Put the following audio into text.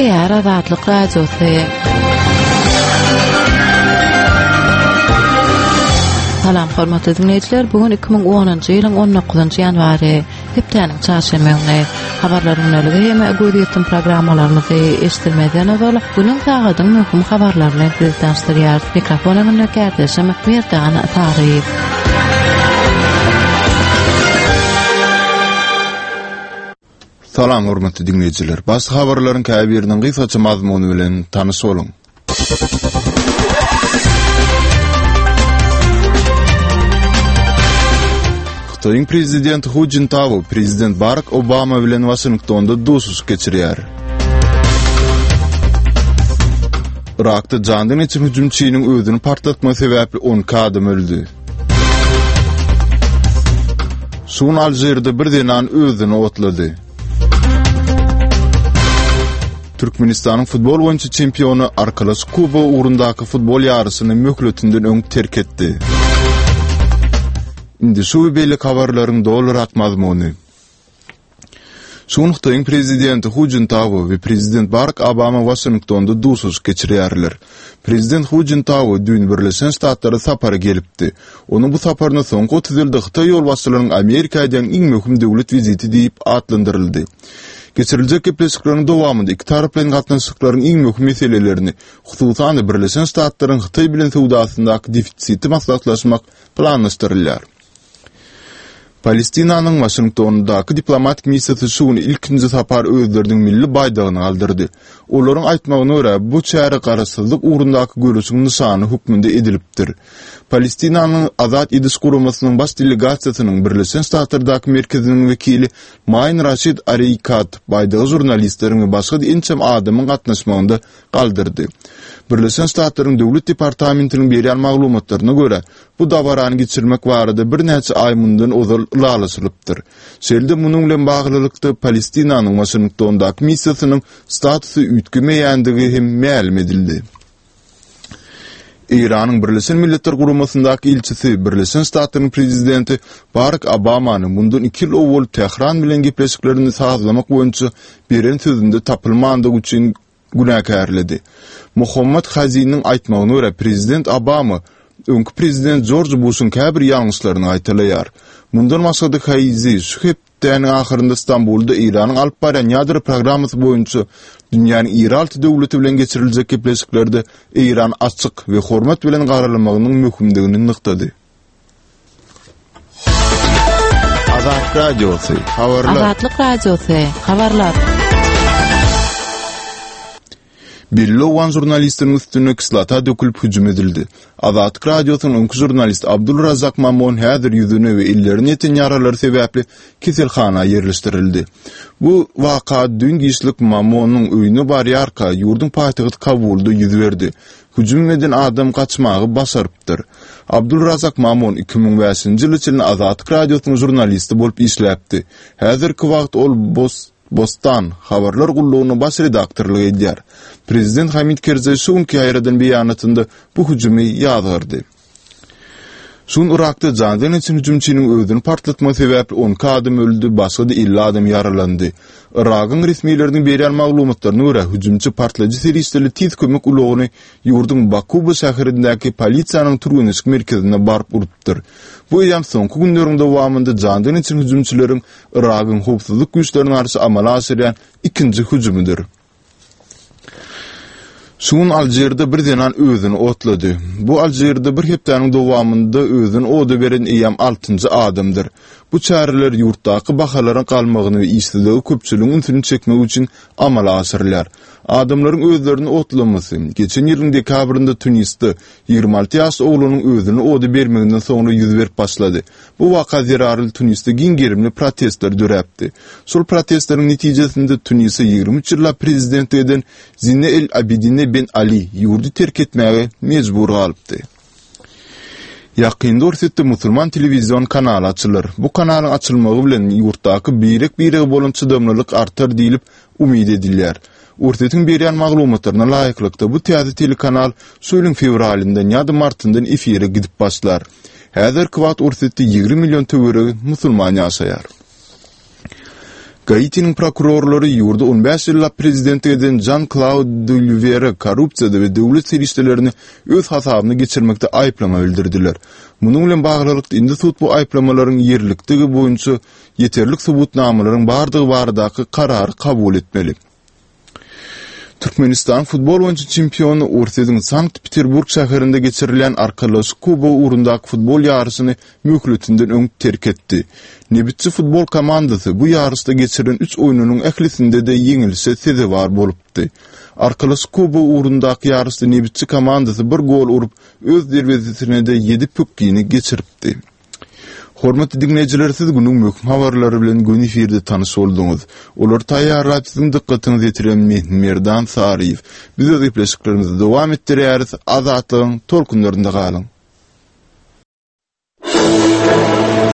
Gürleýär Azatlyk Radiosy. Salam hormatly diňleýjiler, bu gün 2010-njy ýylyň 19-njy ýanwary, hepdäniň çarşenbe güni. Habarlaryň güneligi hem gözýetim programmalarymyzy eşitdirmezden ozal, günüň sagadyň möhüm habarlary bilen sizi tanyşdyrýarys. Mikrofon öňünde kärdeşim Merdan Saryýew. Salam hormatly diňleýjiler. Baş habarlaryň käbiriniň gysgaça mazmuny bilen tanyş boluň. Hytaýyň prezidenti Hu Jintao prezident Barak Obama bilen Waşingtonda duşuşyk geçirýär. Yrakda jandan geçen hüjümçiniň özüni partlatmagy sebäpli 12 adam öldi. Şu gün Alžirde bir zenan özüni otlady. Türkmenistanyň futbol boýunça çempiony Arkalaşyk kubogy ugrundaky futbol ýaryşyny möhletinden öň terk etdi. Indi şu we beýleki habarlaryň dolurak mazmuny. Şu gün Hytaýyň prezidenti Hu Jintao we prezident Barak Obama Waşingtonda duşuşyk geçirýärler. Prezident Hu Jintao düýn Birleşen Ştatlara sapara gelipdi. Onuň bu saparyna soňky 30 ýylda hytaý ýolbaşçylarynyň Amerika edýän iň möhüm döwlet wiziti diýip atlandyryldy. Geçiriljek gepleşikleriň dowamynda ikitaraplaýyn gatnaşyklaryň iň möhüm meselelerini, hususan-da Birleşen Ştatlaryň Hytaý bilen söwdasyndaky defisiti maslahatlaşmak planlaşdyrylýar. Palestinanyň Waşingtondaky diplomatik missiýasy şu gün ilkinji sapar özleriniň milli baýdagyny galdyrdy. Olaryň aýtmagyna görä, bu çäre garaşsyzlyk ugrundaky göreşiň nyşany hökmünde edilipdir. Palestinanyň Azat ediş guramasynyň baş delegasiýasynyň Birleşen Ştatlardaky merkeziniň wekili Maýn Raşid Areýkat baýdagy žurnalistleriň we başga-da ençeme adamyň gatnaşmagynda galdyrdy. Birleşen Ştatlaryň Döwlet departamentiniň berýän maglumatlaryna görä, Bu dabarany geçirmek barada birnäçe aý mundan ozal ylalaşylypdyr. Şeýle-de munuň bilen baglylykda Palestinanyň Waşingtondaky missiýasynyň statusy üýtgemeýändigi hem mälim edildi. Eýranyň Birleşen Milletler Guramasyndaky ilçisi Birleşen Ştatlaryň prezidenti Barak Obamany mundan iki ýyl owal Tähran bilen gepleşiklerini sazlamak boýunça beren sözünde tapylmandygy üçin günäkärledi. Mohammad Haziniň aýtmagyna görä, prezident Obama öňki prezident Jorj Buşuň käbir ýalňyşlaryny gaýtalaýar. Mundan başga-da Haizi şu hepdäniň ahyrynda Stambulda Eýranyň alyp barýan ýadro programmasy boýunça dünýäniň iri alty döwleti bilen geçiriljek gepleşiklerde Eýrana açyk we hormat bilen garalmagynyň möhümdigini nygtady. Azat Radiosy, habarlar. Azatlyk Radiosy, habarlar. Belli owgan žurnalistiniň üstüne kislota dökülip hüjüm edildi. Azatlyk Radiosynyň öňki žurnalisti Abdul Razak Mamon häzir ýüzüne we ellerine ýeten ýaralary sebäpli keselhana ýerleşdirildi. Bu waka düýn giçlik Mamonyň öýüne barýarka ýurduň paýtagty Kabulda ýüz berdi. Hüjüm eden adam gaçmagy başarypdyr. Abdul Razak Mamun 2005-nji ýyla çenli Azatlyk Radiosynyň žurnalisti bolup işläpdi. Häzirki wagt ol Bostan habarlar gullugyna baş redaktorlyk edýär. Prezident Hamid Kerzaý şu günki ýaýradan beýanatynda bu hüjümi ýazgardy. Şu gün Yrakda jandan geçen hüjümçiniň özüni partlatmagy sebäpli 12 adam öldi, başga-da 50 adam ýaralandy. Yragyň resmileriniň berýän maglumatlaryna görä, hüjümçi partlaýjy serişdeli tiz kömek ulagyny ýurduň Bakuba şäherindäki polisiýanyň türgenleşik merkezine baryp urupdyr. Bu eýýäm soňky günleriň dowamynda jandan geçen hüjümçileriň Yragyň howpsuzlyk güýçlerine garşy amala aşyrýan ikinji hüjümidir. Şu gün Alžirde bir zenan özüni otlady. Bu Alžirde bir hepdäniň dowamynda özüni oda beren eýýäm altynjy adamdyr. Bu çäreler ýurtdaky bahalaryň galmagyny we işsizligi köpçüligiň ünsüni çekmek üçin amala aşyrylýar. Adamlaryň özlerini otlamasy, geçen ýylyň dekabrynda Tunisde 26 ýaşly oglanyň özüni oda bermeginden soňra ýüz berip başlady. Bu waka zerarly Tunisde giň gerimli protestler döräpdi. Şol protestleriň netijesinde Tunise 23 ýyllap prezidentlik eden Zine El Abidine Ben Ali ýurdy terk etmäge mejbur galypdy. Ýakynda Orsýetde musulman telewizion kanaly açylar. Bu kanalyň açylmagy bilen ýurtdaky birek-birege bolan çydamlylyk artar diýlip umyt edilýär. Orsýetiň berýän maglumatlaryna laýyklykda, bu täze telekanal şu ýylyň fewralyndan ýa-da martyndan efire gidip başlar. Häzirki wagt Orsýetde 20 million töweregi musulman ýaşaýar. Gaitiniň prokurorlary ýurda on bäş ýyllap prezidentlik eden Žan-Klaud Dulwere korrupsiýada we döwlet serişdelerini öz hasabyna geçirmekde aýyplama bildirdiler. Munuň bilen baglylykda, indi sud bu aýyplamalaryň ýerlikdigi boýunça ýeterlik subutnamalaryň bardygy baradaky karary kabul etmeli. Türkmenistan futbol boýunça çempiony Orsýetiň Sankt-Peterburg şäherinde geçirilýän Arkalaşyk kubogy ugrundaky futbol ýaryşyny möhletinden öň terk etdi. Nebitçi futbol komandasy bu ýaryşda geçirilen üç oýnunyň ählisinde-de ýeňilişe sezewar bolupdy. Arkalaşyk kubogy ugrundaky ýaryşda Nebitçi komandasy bir gol urup, öz derwezesine-de ýedi pökgini geçiripdi. Hormatly diňleýjiler siz günüň möhüm habarlary bilen göni efirde tanyş bolduňyz. Olary taýýarlap siziň dykgatyňyza ýetiren men Merdan Saryýew. Biz öz gepleşiklerimizi dowam etdirýäris. Azatlygyň tolkunlarynda galyň.